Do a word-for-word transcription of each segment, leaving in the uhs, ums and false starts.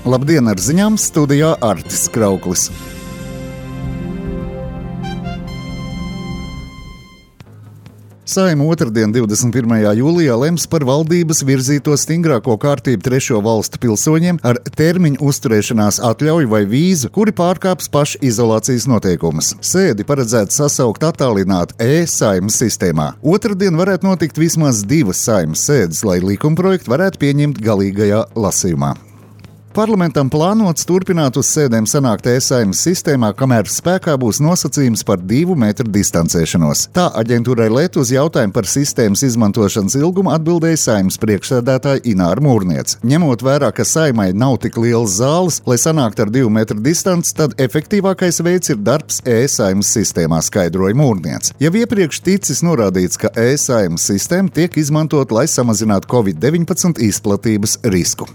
Labdien, ar ziņām studijā Artis Krauklis. Saeima otrdien, divdesmit pirmajā jūlijā, lems par valdības virzīto stingrāko kārtību trešo valstu pilsoņiem ar termiņu uzturēšanās atļauju vai vīzu, kuri pārkāps pašizolācijas noteikumus. Sēdi paredzēts sasaukt attālināt e-Saeimas sistēmā. Otrdien varētu notikt vismaz divas Saeimas sēdes, lai likumprojektu varētu pieņemt galīgajā lasījumā. Parlamentam plānots turpināt uz sēdēm sanākt e-Saeimas sistēmā, kamēr spēkā būs nosacījums par divu metru distancēšanos. Tā aģentūrai Let uz jautājumu par sistēmas izmantošanas ilgumu atbildēja Saeimas priekšsēdētāja Ināra Mūrniece. Ņemot vērā, ka Saeimai nav tik lielas zāles, lai sanāktu ar divu metru distanci, tad efektīvākais veids ir darbs e-Saeimas sistēmā, skaidroja Mūrniece. Jau iepriekš ticis norādīts, ka e-Saeimas sistēma tiek izmantot, lai samazinātu covid deviņpadsmit izplatības risku.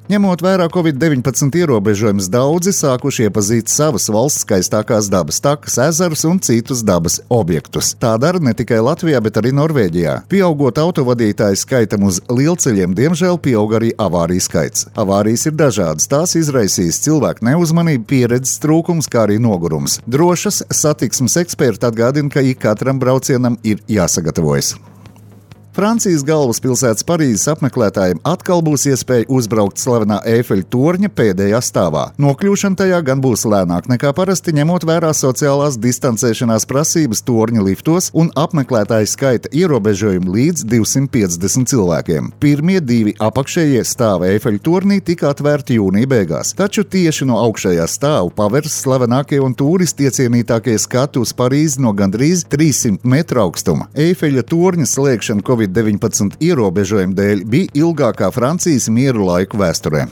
Ņemot vērā covid deviņpadsmit ierobežojumus, daudzi sākuši iepazīt savas valsts skaistākās dabas takas, ezerus un citus dabas objektus. Tā dara ne tikai Latvijā, bet arī Norvēģijā. Pieaugot autovadītāju skaitam uz lielceļiem, diemžēl pieaug arī avāriju skaits. Avārijas ir dažādas, tās izraisīs cilvēku neuzmanību, pieredzes trūkums, kā arī nogurums. Drošas satiksmes eksperti atgādina, ka ik katram braucienam ir jāsagatavojas. Francijas galvaspilsētas Parīzes apmeklētājiem atkal būs iespēja uzbraukt slavenā Eifeļa torņa pēdējā stāvā. Nokļūšana tajā gan būs lēnāk nekā parasti, ņemot vērā sociālās distancēšanās prasības torņa liftos un apmeklētāju skaita ierobežojumu līdz divsimt piecdesmit cilvēkiem. Pirmie divi apakšējie stāvi Eifeļa tornī tika atvērti jūnija beigās, taču tieši no augšējā stāvu paveras slavenākie un turisti iecienītākie skati uz Parīzi no gandrīz trīssimt metru augstuma. Eifeļa torņa slēgšana covid deviņpadsmit ierobežojumu dēļ bija ilgākā Francijas mieru laiku vēsturē.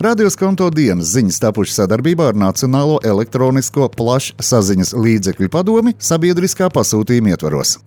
Radioskonto dienas ziņas tapušas sadarbībā ar Nacionālo elektronisko plašsaziņas līdzekļu padomi sabiedriskā pasūtījuma ietvaros.